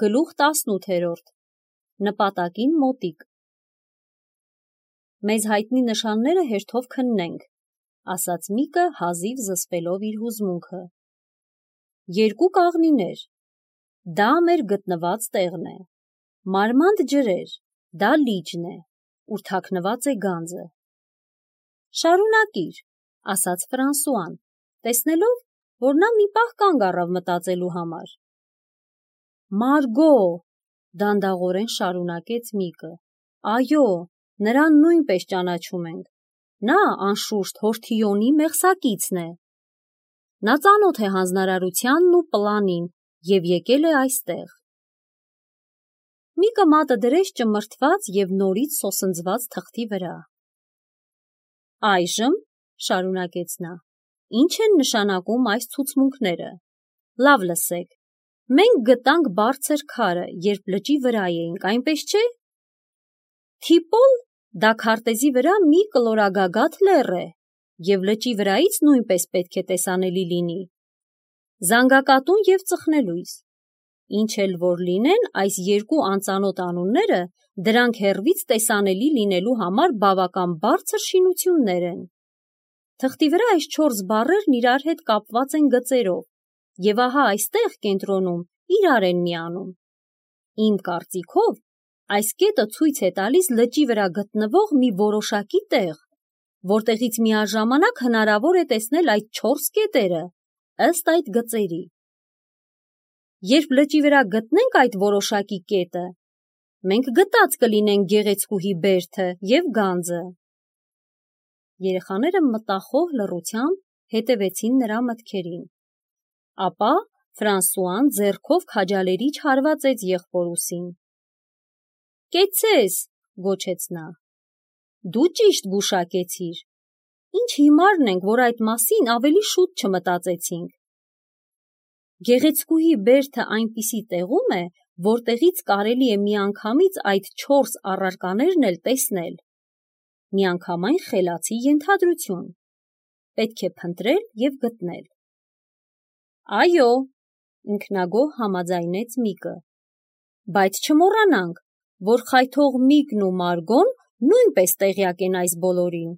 Գլուխ 18 Նպատակին մոտիկ Մեզ հայտնի նշանները հերթով քննենք, ասաց Միկը հազիվ զսպելով իր հուզմունքը։ Երկու կաղնիներ, դա մեր գտնված տեղն է, մարմանդ ջրեր, դա լիճն է, ուր թաքնված է գանձը։ Շարունակիր, ասաց Ֆրանսուան, տեսնելով, որ նա մի պահ կանգ առավ մտածելու համար։ Մարգո, դանդաղորեն շարունակեց Միկը, այո, նրան նույնպես ճանաչում ենք, նա անշուշտ Հորթիոնի մեղսակիցն է։ Նա ծանոթ է հանձնարարությանն ու պլանին և եկել է այստեղ։ Միկը մատը դրեց ճմրթված և նորից սոսնձված թղթի վրա։ Այժմ, շարունակեց նա, ինչ են նշանակում այս ցուցմունքները։ Լավ լսեք, մենք գտանք բարձր քարը, երբ լճի վրա էինք, այնպես չէ։ Թիպոլ, դա քարտեզի վրա մի կլորագագաթ լեռ է, և լճի վրայից նույնպես պետք է տեսանելի լինի։ Զանգակատուն և ծխնելույս։ Ինչ էլ որ լինեն այս երկու անծանոթ անունները, դրանք հեռվից տեսանելի լինելու համար բավական բարձր շինություններ են։ Թղթի վրա այս 4 բառերն իրար հետ կապված են գծերով, և ահա այստեղ կենտրոնում իրար են միանում։ Իմ կարծիքով, այս կետը ցույց է տալիս լճի վրա գտնվող մի որոշակի տեղ, որտեղից միաժամանակ հնարավոր է տեսնել այդ 4 կետերը, ըստ այդ գծերի։ Երբ լճի վրա գտնենք այդ որոշակի կետը, մենք գտած կլինենք գեղեցկուհի բերդը և գանձը։ Երեխաները մտախոհ լռությամբ հետևեցին նրա մտքերին։ Ապա Ֆրանսուան ձեռքով քաջալերիչ հարվածեց եղբոր ուսին։ Կեցցես, գոչեց նա։ Դու ճիշտ գուշակեցիր։ Ինչ հիմարն ենք, որ այդ մասին ավելի շուտ չմտածեցինք։ Գեղեցկուհի բերդը այնպիսի տեղում է, որտեղից կարելի է միանգամից այդ 4 առարկաներն էլ տեսնել։ Միանգամայն խելացի ենթադրություն։ Պետք է փնտրել և գտնել։ Այո, ինքնագոհ համաձայնեց Միկը, բայց չմոռանանք, որ խայթող Միկն ու Մարգոն նույնպես տեղյակ են այս բոլորին։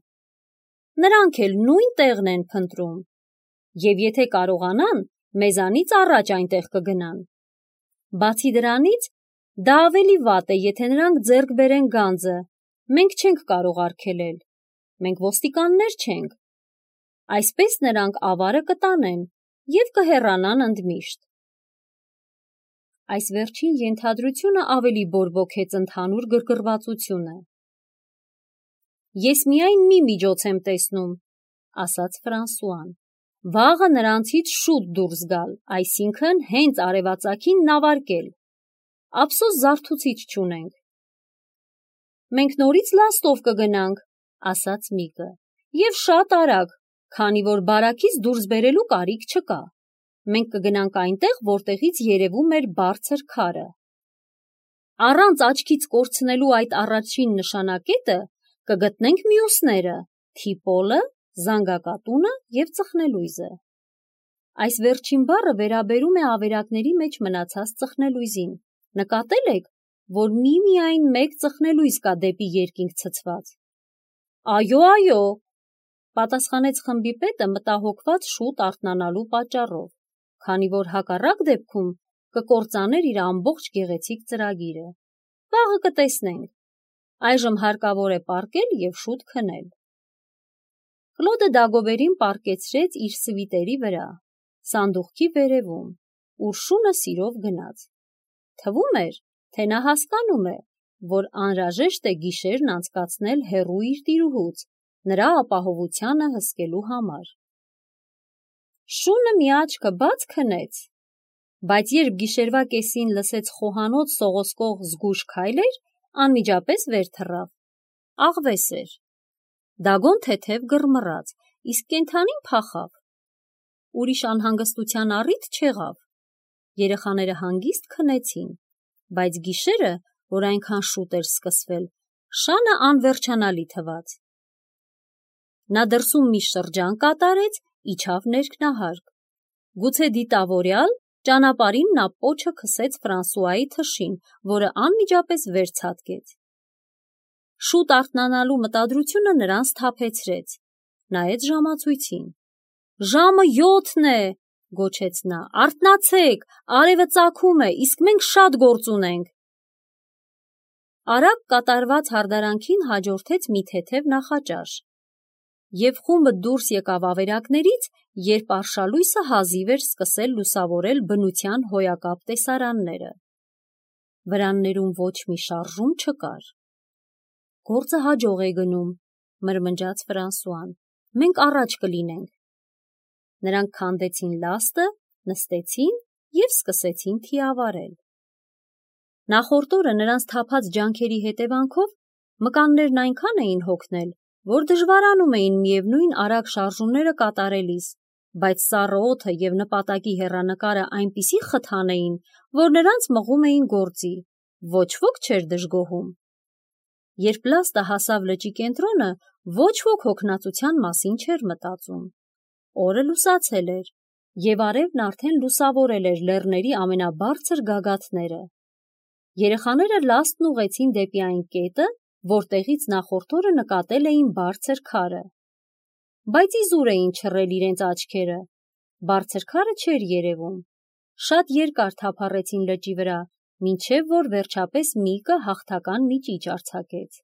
Նրանք էլ նույն տեղն են փնտրում, և եթե կարողանան, մեզանից առաջ այնտեղ կգնան։ Բացի դրանից, դա ավելի վատ է, եթե նրանք ձեռք բերեն գանձը, մենք չենք կարող արգելել, մենք ոստիկաններ չենք։ Այսպես նրանք ավարը կտանեն և կհեռանան ընդմիշտ։ Այս վերջին ենթադրությունը ավելի բորբոքեց ընդհանուր գրգռվածությունը։ Ես միայն մի միջոց եմ տեսնում, ասաց Ֆրանսուան, վաղը նրանցից շուտ դուրս գալ, այսինքն հենց արևածագին նավարկել։ Ափսոս զարթուցիչ չունենք։ Մենք նորից լաստով կգնանք, ասաց Միկը, և շատ արագ, քանի որ բարակից դուրս բերելու կարիք չկա։ Մենք կգնանք այնտեղ, որտեղից երևում էր բարձր քարը։ Առանց աչքից կորցնելու այդ առաջին նշանակետը կգտնենք մյուսները՝ թիպոլը, զանգակատունը և ծխնելույզը։ Այս վերջին բառը վերաբերում է ավերակների մեջ մնացած ծխնելույզին։ Նկատել եք, որ միմիայն մեկ ծխնելույզ կա դեպի երկինք ցցված։ Այո, այո, պատասխանեց խմբի պետը մտահոգված շուտ արթնանալու պատճառով, քանի որ հակառակ դեպքում կկործաներ իր ամբողջ գեղեցիկ ծրագիրը։ Վաղը կտեսնենք։ Այժմ հարկավոր է պառկել և շուտ քնել։ Կլոդը Դագոբերին պառկեցրեց իր սվիտերի վրա, սանդուղքի վերևում, ուր շունը սիրով գնաց։ Թվում էր, թե նա հասկանում է, որ անհրաժեշտ է գիշերն անցկացնել հեռու իր տիրուհուց, նրա ապահովությանը հսկելու համար։ Շունը մի աչքը բաց քնեց, բայց երբ գիշերվա կեսին լսեց խոհանոց սողոսկող զգույշ քայլեր, անմիջապես վեր թռավ։ Աղվես էր։ Դագոն թեթև գռմռաց, իսկ կենդանին փախավ։ Ուրիշ անհանգստության առիթ չեղավ։ Երեխաները հանգիստ քնեցին, բայց գիշերը, որ այնքան շուտ էր սկսվել, շանը անվերջանալի թվաց։ Նա դրսում մի շրջան կատարեց, իջավ ներքնահարկ։ Գուցե դիտավորյալ, Ճանապարհին նա պոչը քսեց Ֆրանսուայի թշին, որը անմիջապես վերցատկեց։ Շուտ արթնանալու մտադրությունը նրան սթափեցրեց։ Նայեց ժամացույցին։ «Ժամը 7-ն է», գոչեց նա, «արթնացեք, արևը ծագում է, իսկ մենք շատ գործ ունենք»։ Արագ կատարված հարդարանքին հաջորդեց մի թեթև նախաճաշ, և խումբը դուրս եկավ ավերակներից, երբ արշալույսը հազիվ էր սկսել լուսավորել բնության հոյակապ տեսարանները։ Վրաններում ոչ մի շարժում չկար։ «Գործը հաջող է գնում», մրմնջաց Ֆրանսուան, «մենք առաջ կլինենք»։ Նրանք քանդեցին լաստը, նստեցին և սկսեցին թիավարել։ Նախորդ օրը նրանց թափած ջանքերի հետևանքով մկաններն այնքան էին հոգնել, որ դժվարանում էին միևնույն արագ շարժումները կատարելիս, բայց սառը օդը և նպատակի հեռանկարը այնպիսի խթան էին, որ նրանց մղում էին գործի, ոչ ոք չէր դժգոհում։ Երբ լաստը հասավ լճի կենտրոնը, ոչ ոք հոգնածության մասին չէր մտածում։ Օրը լուսացել էր, և արևն արդեն լուսավորել էր լեռների ամենաբարձր գագաթները։ Երեխաները լաստն ուղղեցին դեպի այն կետը, որտեղից նախորդ օրը նկատել էին բարձր քարը։ Բայց իզուր էին չռել իրենց աչքերը։ Բարձր քարը չէր երևում։ Շատ երկար թափառեցին լճի վրա, մինչև որ վերջապես միկը հաղթական մի ճիչ արձակեց։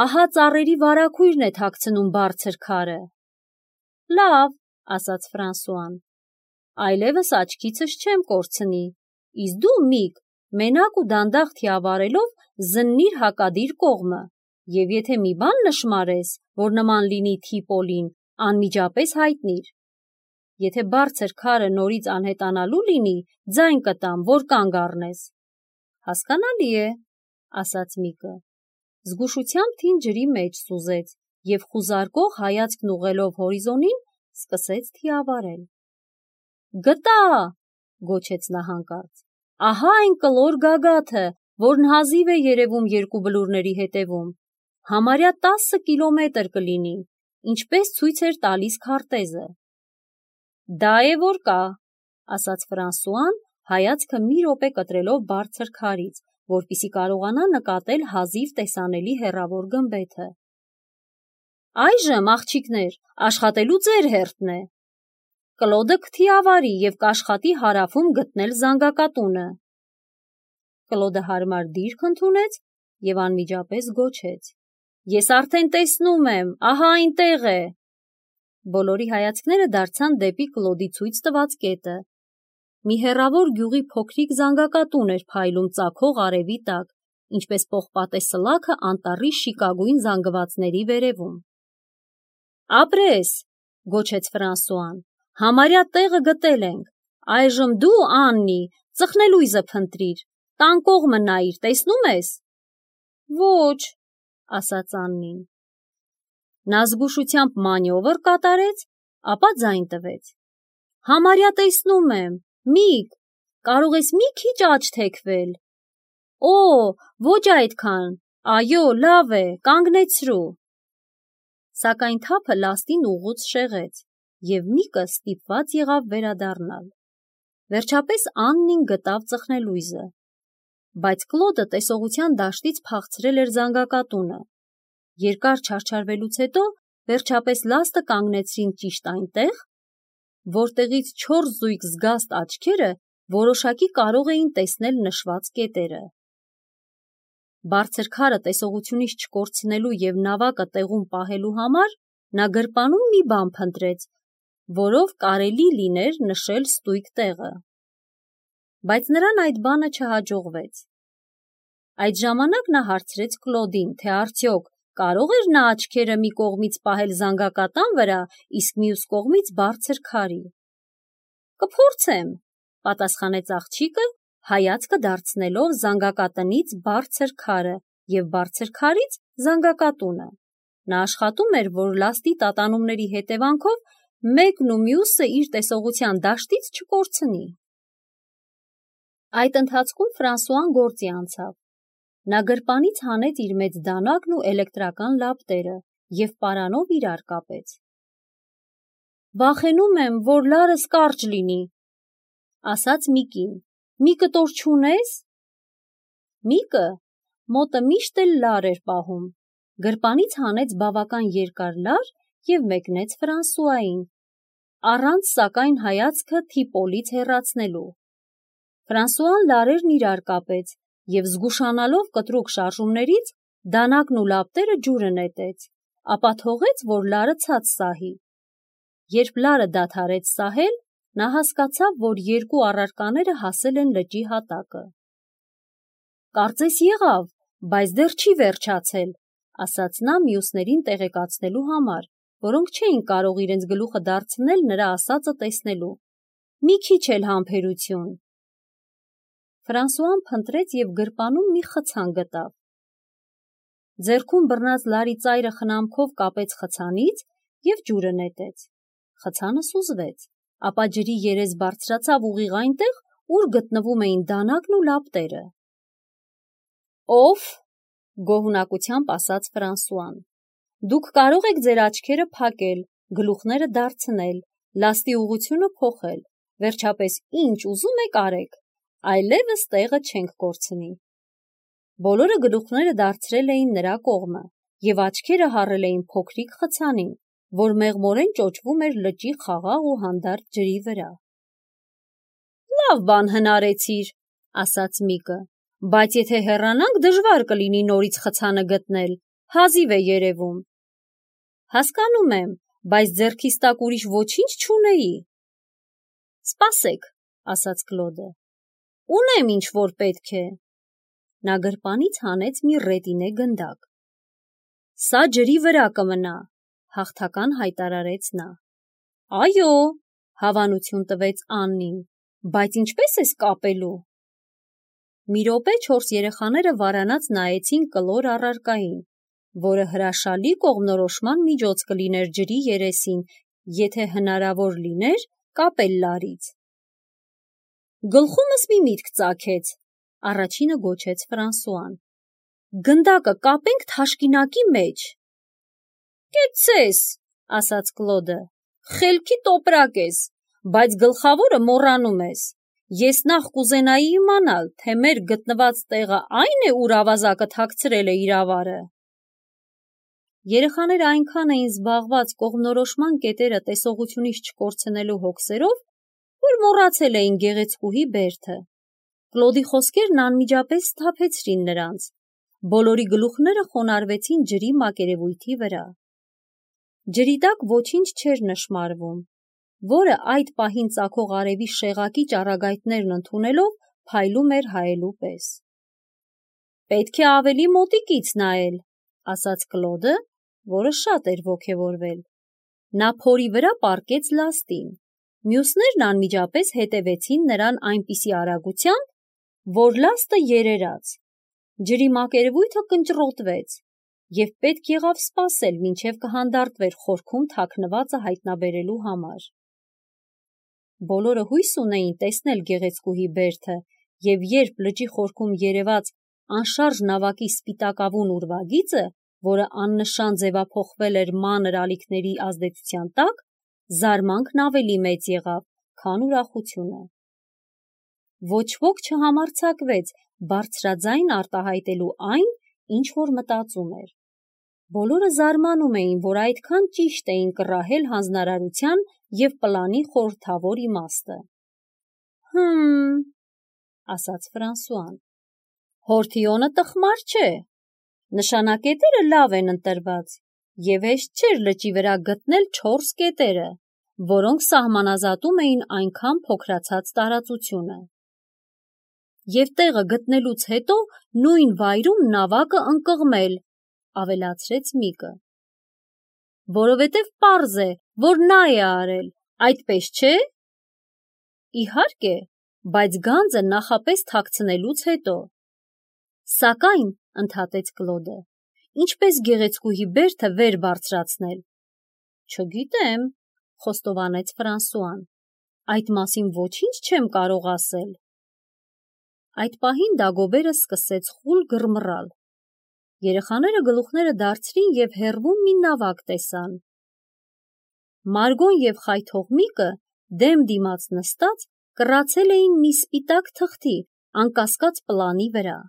«Ահա ծառերի վարագույրն է թաքցնում բարձր քարը»։ «Լավ», ասաց Ֆրանսուան, «այլևս աչքիցս չեմ կորցնի, իսկ դու, Միկ, մենակ ու դանդաղ թիավարելով զննիր հակադիր կողմը, և եթե մի բան նշմարես, որ նման լինի Թիպոլին, անմիջապես հայտնիր։ Եթե բարձր քարը նորից անհետանալու լինի, ձայն կտամ, որ կանգ առնես»։ «Հասկանալի է», ասաց Միկը։ Զգուշությամբ թին ջրի մեջ սուզեց և խուզարկող հայացքն ուղղելով հորիզոնին, սկսեց թիավարել։ «Գտա», գոչեց նա հանկարծ, «ահա այն կլոր գագաթը, որն հազիվ է երևում երկու բլուրների հետևում, համարյա 10 կիլոմետր կլինի, ինչպես ցույց էր տալիս քարտեզը»։ «Դա է որ կա», ասաց Ֆրանսուան, հայացքը մի րոպե կտրելով բարձր քարից, որպեսզի կարողանա նկատել հազիվ տեսանելի հեռավոր գմբեթը։ «Այժմ, աղջիկներ, աշխատելու ձեր հերթն է։ Կլոդը կթիավարի և կաշխատի հարավում գտնել զանգակատունը»։ Կլոդը հարմար դիրք ընդունեց և անմիջապես գոչեց. «Ես արդեն տեսնում եմ, ահա այնտեղ է»։ Բոլորի հայացքները դարձան դեպի Կլոդի ցույց տված կետը։ Մի հեռավոր գյուղի փոքրիկ զանգակատուն էր փայլում ծագող արևի տակ, ինչպես պողպատե սլաքը անտառի շիկագույն զանգվածների վերևում։ «Ապրես», գոչեց Ֆրանսուան, «համարյա տեղը գտել ենք։ Այժմ դու, Աննի, ծխնելույզը փնտրիր, տան կողմը նայիր, տեսնում ես»։ «Ոչ», ասաց Աննին։ Նա զգուշությամբ մանևր կատարեց, ապա ձայն տվեց. «Համարյա տեսնում եմ, Միկ, կարող ես մի քիչ աջ թեքվել»։ «Օ, ոչ այդքան, այո, լավ է, կանգնեցրու»։ Սակայն թափը լաստին ուղղուց շեղեց, և Միկը ստիպված եղավ վերադառնալ։ Վերջապես Աննին գտավ ծխնելույզը, բայց Կլոդը տեսողության դաշտից փախցրել էր զանգակատունը։ Երկար չարչարվելուց հետո վերջապես լաստը կանգնեցրին ճիշտ այնտեղ, որտեղից չորս զույգ զգաստ աչքերը որոշակի կարող էին տեսնել նշված կետերը։ Բարձր քարը տեսողությունից չկորցնելու և նավակը տեղում պահելու համար նա գրպանում մի բան փնտրեց, որով կարելի լիներ նշել ստույգ տեղը։ Բայց նրան այդ բանը չհաջողվեց։ Այդ ժամանակ նա հարցրեց Կլոդին, թե արդյոք կարող էր նա աչքերը մի կողմից պահել զանգակատան վրա, իսկ մյուս կողմից բարձր քարի։ «Կփորձեմ», պատասխանեց աղջիկը, հայացքը դարձնելով զանգակատնից բարձր քարը և բարձր քարից զանգակատունը։ Նա աշխատում էր, որ լաստի տատանումների հետևանքով մեկն ու մյուսը իր տեսողության դաշտից չկորցնի։ Այդ ընթացքում Ֆրանսուան գործի անցավ։ Նա գրպանից հանեց իր մեծ դանակն ու էլեկտրական լապտերը և պարանով իրար կապեց։ «Վախենում եմ, որ լարս կարճ լինի», ասաց Միկին, մի կտոր չունես։ Միկը մոտը միշտ էլ լար էր պահում, գրպանից հանեց բավական երկար լար և մեկնեց Ֆրանսուային, առանց սակայն հայացքը Թիպոլից հեռացնելու։ Ֆրանսուան լարերն իրար կապեց և զգուշանալով կտրուկ շարժումներից դանակն ու լապտերը ջուրը նետեց, ապա թողեց, որ լարը ցած սահի։ Երբ լարը դադարեց սահել, նա հասկացավ, որ երկու առարկաները հասել են լճի հատակը։ «Կարծես եղավ, բայց դեռ չի վերջացել», ասաց նա մյուսներին տեղեկացնելու համար, որոնք չէին կարող իրենց գլուխը դարձնել նրա ասածը տեսնելու։ «Մի քիչ էլ համբերություն»։ Ֆրանսուան փնտրեց և գրպանում մի խցան գտավ։ Ձեռքում բռնած լարի ծայրը խնամքով կապեց խցանից և ջուրը նետեց։ Խցանը սուզվեց, ապա ջրի երես բարձրացավ ուղիղ այնտեղ, ուր գտնվում էին դանակն ու լապտերը։ «Օֆ», գոհունակությամբ ասաց Ֆրանսուան, «դուք կարող եք ձեր աչքերը փակել, գլուխները դարձնել, լաստի ուղղությունը փոխել, վերջապես ինչ ուզում եք արեք, այլևս տեղը չենք կորցնի»։ Բոլորը գլուխները դարձրել էին նրա կողմը և աչքերը հառել էին փոքրիկ խցանին, որ մեղմորեն ճոճվում էր լճի խաղաղ ու հանդարտ ջրի վրա։ «Լավ բան հնարեցիր», ասաց Միկը, «բայց եթե հեռանանք, դժվար կլինի նորից խցանը գտնել, հազիվ է երևում»։ «Հասկանում եմ, բայց ձեռքիս տակ ուրիշ ոչինչ չունեի»։ «Սպասեք», ասաց Կլոդը, «ունեմ ինչ որ պետք է»։ Նա գրպանից հանեց մի ռետինե գնդակ։ «Սա ջրի վրա կմնա», հաղթական հայտարարեց նա։ «Այո», հավանություն տվեց Աննին, «բայց ինչպես ես կապելու»։ Մի րոպե 4 երեխաները վարանած նայեցին կլոր առարկային, որը հրաշալի կողմնորոշման միջոց կլիներ ջրի երեսին, եթե հնարավոր լիներ կապել լարից։ «Գլխումս մի միտք ծագեց», առաջինը գոչեց Ֆրանսուան։ «Գնդակը կապենք թաշկինակի մեջ»։ «Կեցցես», ասաց Կլոդը, «խելքի տոպրակ ես, բայց գլխավորը մոռանում ես։ Ես նախ կուզենայի իմանալ, թե մեր գտնված տեղը այն է, ուր ավազակը թաքցրել է իր ավարը»։ Երեխաները այնքան էին զբաղված կողմնորոշման կետերը տեսողությունից չկորցնելու հոգսերով, որ մոռացել էին գեղեցկուհի բերդը։ Կլոդի խոսքերն անմիջապես սթափեցրին նրանց։ Բոլորի գլուխները խոնարհվեցին ջրի մակերևույթի վրա։ Ջրի տակ ոչինչ չէր նշմարվում, որը այդ պահին ծագող արևի շեղակի ճառագայթներն ընդունելով փայլում էր հայելու պես։ «Պետք է ավելի մոտիկից նայել», ասաց Կլոդը, որը շատ էր ոգևորվել։ Նա փորի վրա պառկեց լաստին։ Մյուսներն անմիջապես հետևեցին նրան այնպիսի արագությամբ, որ լաստը երերաց։ Ջրի մակերևույթը կնճռոտվեց, և պետք եղավ սպասել, մինչև կհանդարտվեր խորքում թաքնվածը հայտնաբերելու համար։ Բոլորը հույս ունեին տեսնել գեղեցկուհի բերդը, և երբ լճի խորքում երևաց անշարժ նավակի սպիտակավուն ուրվագիծը, որը աննշան ձևափոխվել էր մանր ալիքների ազդեցության տակ, զարմանքն ավելի մեծ եղավ, քան ուրախությունը։ Ոչ ոք չհամարձակվեց բարձրաձայն արտահայտելու այն, ինչ որ մտածում էր։ Բոլորը զարմանում էին, որ այդքան ճիշտ էին կռահել հանձնարարության և պլանի խորհրդավոր իմաստը։ «Հըմ», ասաց Ֆրանսուան, «Հորթիոնը տխմար չէ։ Նշանակետերը լավ են ընտրված, և հեշտ չէր լճի վրա գտնել 4 կետերը, որոնք սահմանազատում էին այնքան փոքրացած տարածությունը։ Եվ տեղը գտնելուց հետո նույն վայրում նավակը ընկղմել», ավելացրեց Միկը։ «Որովհետև պարզ է, որ նա է արել, այդպես չէ»։ «Իհարկե, բայց գանձը նախապես թաքցնելուց հետո»։ «Սակայն», ընդհատեց Կլոդը, «ինչպես գեղեցկուհի բերդը վեր բարձրացնել»։ «Չգիտեմ», խոստովանեց Ֆրանսուան, «այդ մասին ոչինչ չեմ կարող ասել»։ Այդ պահին Դագոբերը սկսեց խուլ գռմռալ։ Երեխաները գլուխները դարձրին և հեռվում մի նավակ տեսան։ Մարգոն և խայթող Միկը դեմ դիմաց նստած կռացել էին մի սպիտակ թղթի, անկասկած պլանի վրա։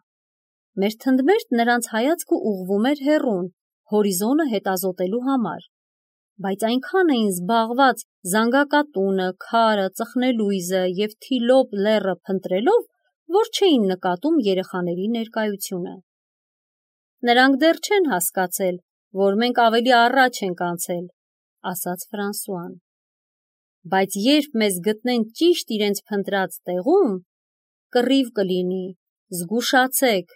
Մերթընդմերթ նրանց հայացքը ուղղվում էր հեռուն, հորիզոնը հետազոտելու համար, բայց այնքան էին զբաղված զանգակատունը, քարը, ծխնելույզը և Թիլոպ լեռը փնտրելով, որ չէին նկատում երեխաների ներկայությունը։ Նրանք դեռ չեն հասկացել, որ մենք ավելի առաջ ենք անցել, ասաց Ֆրանսուան։ Բայց երբ մեզ գտնեն ճիշտ իրենց փնտրած տեղում, կռիվ կլինի, զգուշացեք,